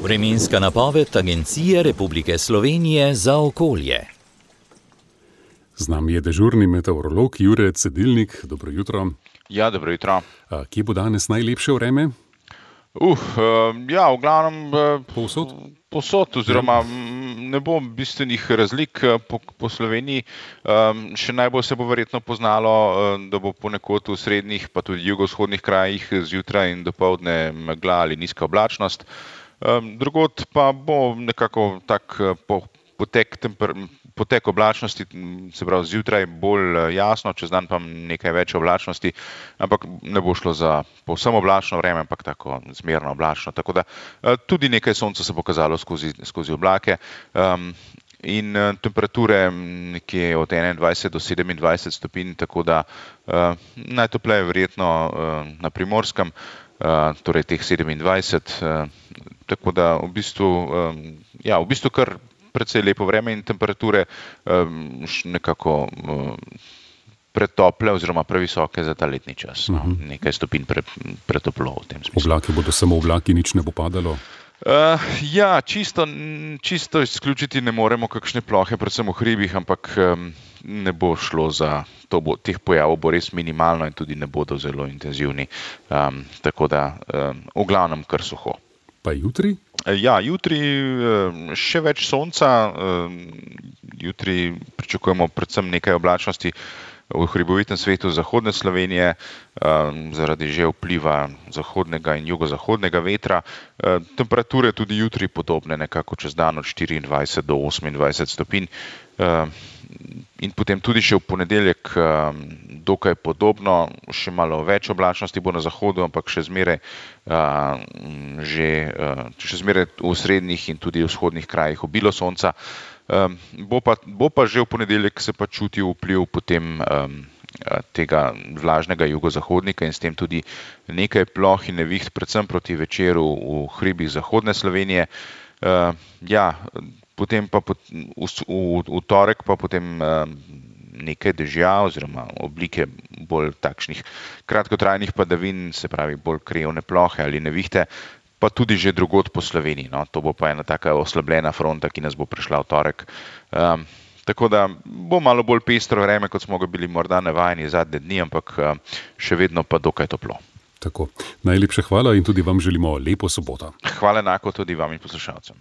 Vremenska napoved Agencije Republike Slovenije za okolje. Z nami je dežurni meteorolog Jure Cedilnik. Dobro jutro. Ja, dobro jutro. Kje bo danes najlepše vreme? V glavnem Povsod, oziroma ne bo bistvenih razlik po Sloveniji. Še najbolj se bo verjetno poznalo, da bo ponekod v srednjih pa tudi jugovzhodnih krajih zjutraj in dopoldne megla ali nizka oblačnost. Drugod pa bo nekako tak potek oblačnosti, se pravi zjutraj bolj jasno, čez dan pa nekaj več oblačnosti, ampak ne bo šlo za povsem oblačno vreme, ampak tako zmerno oblačno. Tako da tudi nekaj sonca se bo kazalo skozi oblake. In temperature nekje od 21 do 27 stopinj, tako da najtopleje verjetno na Primorskem, torej teh 27, tako da v bistvu kar precej lepo vreme in temperature nekako pretople oziroma previsoke za ta letni čas. Nekaj stopinj pretoplo v tem smislu. Oblaki bodo samo oblaki, nič ne bo padalo? Čisto izključiti ne moremo kakšne plohe, predvsem v hribih, ampak ne bo šlo za to, teh pojavov bo res minimalno in tudi ne bodo zelo intenzivni. Tako da v glavnem kar suho. Pa jutri? Jutri še več sonca, jutri pričakujemo predvsem nekaj oblačnosti v hribovitem svetu zahodne Slovenije, zaradi že vpliva zahodnega in jugozahodnega vetra. Temperature tudi jutri podobne, nekako čez dan od 24 do 28 stopinj. In potem tudi še v ponedeljek dokaj podobno, še malo več oblačnosti bo na zahodu, ampak še zmeraj v srednjih in tudi vzhodnih krajih obilo sonca. Bo pa že v ponedeljek se pa čuti vpliv potem tega vlažnega jugozahodnika in s tem tudi nekaj ploh in neviht, predvsem proti večeru v hribih zahodne Slovenije. Potem pa v torek pa potem nekaj dežja oziroma oblike bolj takšnih kratkotrajnih padavin, se pravi bolj krajevne plohe ali nevihte, pa tudi že drugod po Sloveniji. No, to bo pa ena taka oslabljena fronta, ki nas bo prišla v torek. Tako da bo malo bolj pestro vreme, kot smo ga bili morda navajeni zadnje dni, ampak še vedno pa dokaj toplo. Tako. Najlepša hvala in tudi vam želimo lepo soboto. Hvala enako tudi vam in poslušalcem.